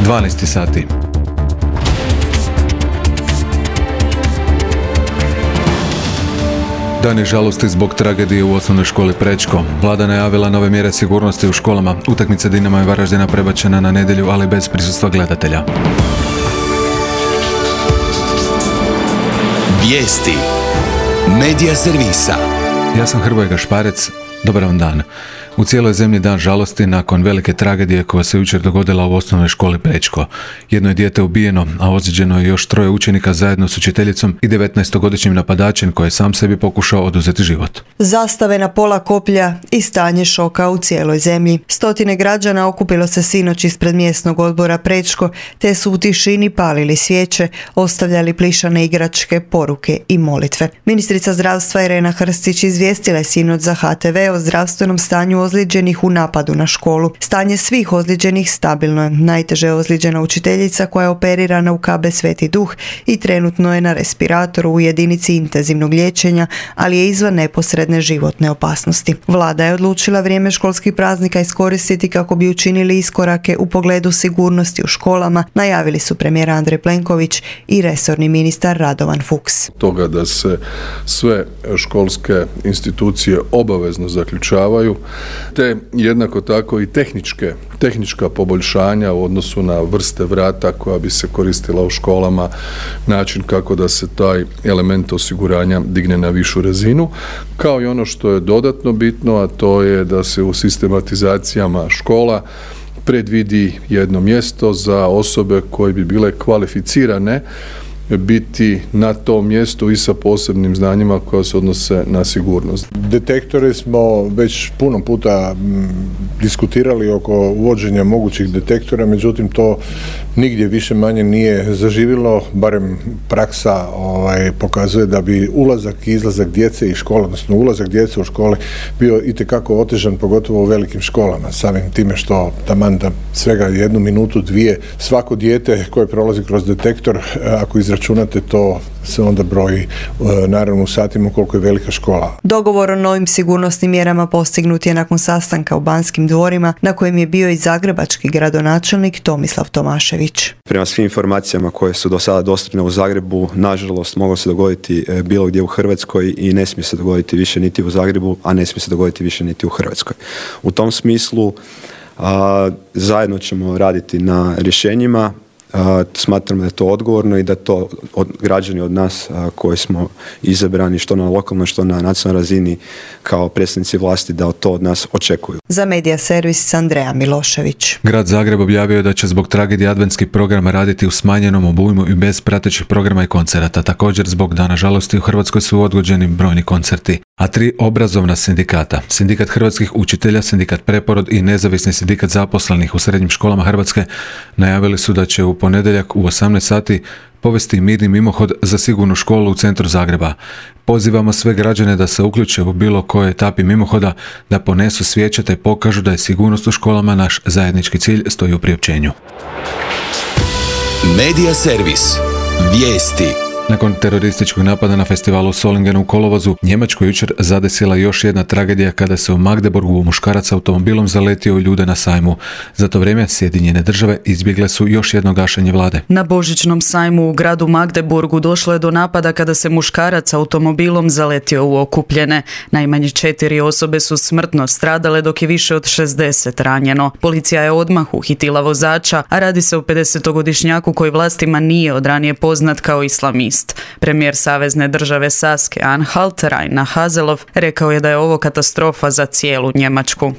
12 sati. Dani žalosti zbog tragedije u osnovnoj školi Prečko. Vlada najavila nove mjere sigurnosti u školama. Utakmica Dinama i Varaždina prebačena na nedjelju, ali bez prisustva gledatelja. Vijesti Medija servisa. Ja sam Hrvoje Gašparec. Dobar vam dan. U cijeloj zemlji dan žalosti nakon velike tragedije koja se jučer dogodila u osnovnoj školi Prečko. Jedno je dijete ubijeno, a ozlijeđeno je još 3 učenika zajedno s učiteljicom i 19-godišnjim napadačem koji je sam sebi pokušao oduzeti život. Zastave na pola koplja i stanje šoka u cijeloj zemlji. Stotine građana okupilo se sinoć ispred mjesnog odbora Prečko, te su u tišini palili svijeće, ostavljali plišane igračke, poruke i molitve. Ministrica zdravstva Irena Hrstić izvijestila je sinoć za HTV o zdravstvenom stanju ozlijeđenih u napadu na školu. Stanje svih ozlijeđenih stabilno je. Najteže je ozlijeđena učiteljica koja je operirana u KB Sveti Duh i trenutno je na respiratoru u jedinici intenzivnog liječenja, ali je izvan neposredne životne opasnosti. Vlada je odlučila vrijeme školskih praznika iskoristiti kako bi učinili iskorake u pogledu sigurnosti u školama, najavili su premijer Andrej Plenković i resorni ministar Radovan Fuchs. Toga da se sve školske institucije obavezno zaključavaju, te jednako tako i tehnička poboljšanja u odnosu na vrste vrata koja bi se koristila u školama, način kako da se taj element osiguranja digne na višu razinu, kao i ono što je dodatno bitno, a to je da se u sistematizacijama škola predvidi jedno mjesto za osobe koje bi bile kvalificirane biti na tom mjestu i sa posebnim znanjima koja se odnose na sigurnost. Detektore smo već puno puta diskutirali oko uvođenja mogućih detektora, međutim to nigdje više manje nije zaživilo, barem praksa pokazuje da bi ulazak i izlazak djece iz škole, odnosno ulazak djece u škole bio itekako otežan, pogotovo u velikim školama, samim time što taman da svega 1 minutu, 2, svako dijete koje prolazi kroz detektor, ako izračunate to, se onda broji naravno u satima koliko je velika škola. Dogovor o novim sigurnosnim mjerama postignut je nakon sastanka u Banskim dvorima na kojem je bio i zagrebački gradonačelnik Tomislav Tomašević. Prema svim informacijama koje su do sada dostupne u Zagrebu, nažalost moglo se dogoditi bilo gdje u Hrvatskoj i ne smije se dogoditi više niti u Zagrebu, a ne smije se dogoditi više niti u Hrvatskoj. U tom smislu zajedno ćemo raditi na rješenjima. Smatram da je to odgovorno i da to građani od nas koji smo izabrani što na lokalnoj što na nacionalnoj razini kao predstavnici vlasti da to od nas očekuju. Za Medija servis Andreja Milošević. Grad Zagreb objavio da će zbog tragedije adventskih programa raditi u smanjenom obujmu i bez pratećih programa i koncerata. Također zbog Dana žalosti u Hrvatskoj su odgođeni brojni koncerti. A 3 obrazovna sindikata, Sindikat hrvatskih učitelja, Sindikat Preporod i Nezavisni sindikat zaposlenih u srednjim školama Hrvatske najavili su da će u ponedjeljak u 18 sati povesti mirni mimohod za sigurnu školu u centru Zagreba. Pozivamo sve građane da se uključe u bilo kojoj etapi mimohoda, da ponesu svijeće te pokažu da je sigurnost u školama naš zajednički cilj, stoji u priopćenju. Medija servis. Vijesti. Nakon terorističkog napada na festivalu Solingenu u kolovozu, Njemačku jučer zadesila još jedna tragedija kada se u Magdeburgu muškarac automobilom zaletio u ljude na sajmu. Za to vrijeme Sjedinjene države izbjegle su još jedno gašenje vlade. Na božićnom sajmu u gradu Magdeburgu došlo je do napada kada se muškarac automobilom zaletio u okupljene. Najmanje 4 osobe su smrtno stradale dok je više od 60 ranjeno. Policija je odmah uhitila vozača, a radi se o 50-godišnjaku koji vlastima nije od ranije poznat kao islamist. Premijer savezne države Saske Anhalt, Rainer Haseloff, rekao je da je ovo katastrofa za cijelu Njemačku.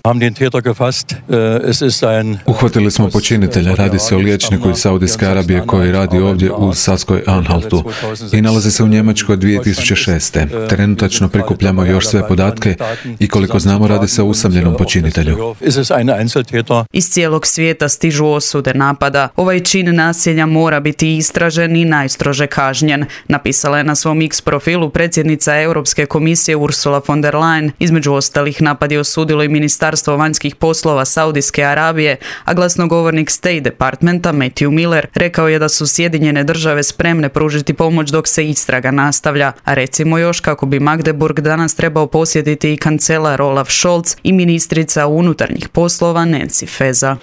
Uhvatili smo počinitelja, radi se o liječniku iz Saudijske Arabije koji radi ovdje u Saskoj Anhaltu i nalazi se u Njemačkoj od 2006. Trenutačno prikupljamo još sve podatke i koliko znamo radi se o usamljenom počinitelju. Iz cijelog svijeta stižu osude napada. Ovaj čin nasilja mora biti istražen i najstrože kažnjen, napisala je na svom X profilu predsjednica Europske komisije Ursula von der Leyen. Između ostalih napad je osudilo i Ministarstvo vanjskih poslova Saudijske Arabije, a glasnogovornik State Departmenta Matthew Miller rekao je da su Sjedinjene države spremne pružiti pomoć dok se istraga nastavlja, a recimo još kako bi Magdeburg danas trebao posjetiti i kancelar Olaf Scholz i ministrica unutarnjih poslova Nancy Faeser.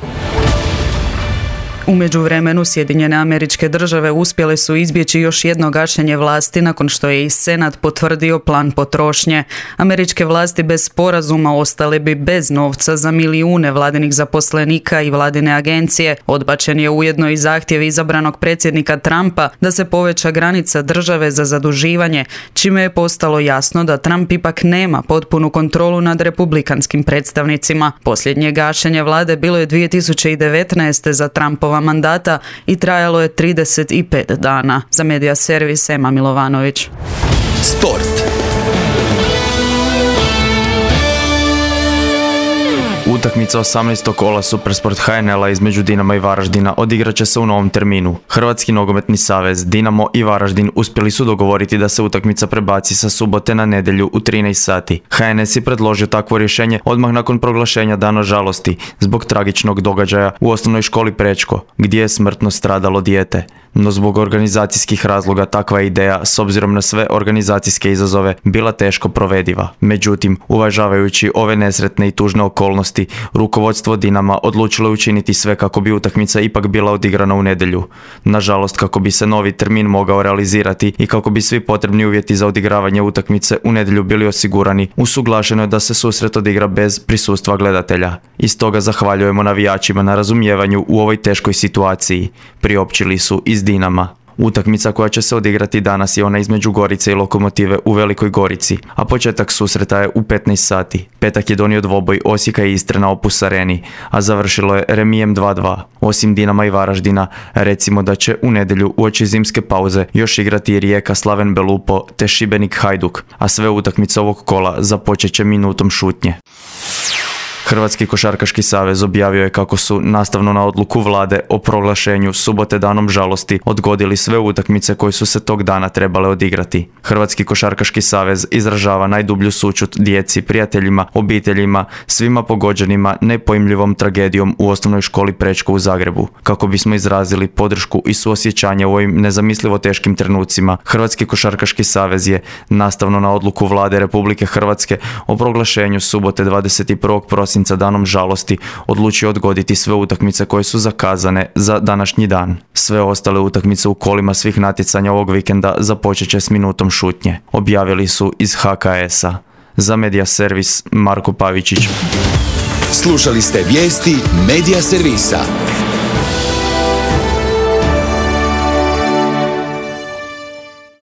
U međuvremenu Sjedinjene Američke Države uspjele su izbjeći još jedno gašenje vlasti nakon što je i Senat potvrdio plan potrošnje. Američke vlasti bez sporazuma ostale bi bez novca za milijune vladinih zaposlenika i vladine agencije. Odbačen je ujedno i zahtjev izabranog predsjednika Trumpa da se poveća granica države za zaduživanje, čime je postalo jasno da Trump ipak nema potpunu kontrolu nad republikanskim predstavnicima. Posljednje gašenje vlade bilo je 2019. za Trumpova mandata i trajalo je 35 dana. Za Medija servis Ema Milovanović. Sport. Utakmica 18. kola Supersport HNL-a između Dinama i Varaždina odigrat će se u novom terminu. Hrvatski nogometni savez, Dinamo i Varaždin uspjeli su dogovoriti da se utakmica prebaci sa subote na nedjelju u 13 sati. HNS je predložio takvo rješenje odmah nakon proglašenja Dana žalosti zbog tragičnog događaja u osnovnoj školi Prečko, gdje je smrtno stradalo dijete. No zbog organizacijskih razloga takva je ideja, s obzirom na sve organizacijske izazove, bila teško provediva. Međutim, uvažavajući ove nesretne i tužne okolnosti, rukovodstvo Dinama odlučilo je učiniti sve kako bi utakmica ipak bila odigrana u nedjelju. Nažalost, kako bi se novi termin mogao realizirati i kako bi svi potrebni uvjeti za odigravanje utakmice u nedjelju bili osigurani, usuglašeno je da se susret odigra bez prisustva gledatelja. I stoga zahvaljujemo navijačima na razumijevanju u ovoj teškoj situaciji, priopćili su iz Dinama. Utakmica koja će se odigrati danas je ona između Gorice i Lokomotive u Velikoj Gorici, a početak susreta je u 15 sati. Petak je donio dvoboj Osijeka i Istre na Opus Areni, a završilo je remijem 2:2. Osim Dinama i Varaždina, recimo da će u nedjelju uoči zimske pauze još igrati Rijeka Slaven Belupo te Šibenik Hajduk, a sve utakmice ovog kola započet će minutom šutnje. Hrvatski košarkaški savez objavio je kako su, nastavno na odluku vlade o proglašenju subote danom žalosti, odgodili sve utakmice koje su se tog dana trebale odigrati. Hrvatski košarkaški savez izražava najdublju sućut djeci, prijateljima, obiteljima, svima pogođenima nepojmljivom tragedijom u osnovnoj školi Prečko u Zagrebu. Kako bismo izrazili podršku i suosjećanje u ovim nezamislivo teškim trenucima, Hrvatski košarkaški savez je, nastavno na odluku vlade Republike Hrvatske o proglašenju subote 21. prosinca danom žalosti, odlučio odgoditi sve utakmice koje su zakazane za današnji dan. Sve ostale utakmice u kolima svih natjecanja ovog vikenda započet će s minutom šutnje, objavili su iz HKS-a. Za Medija servis Marko Pavičić. Slušali ste vijesti Medija servisa.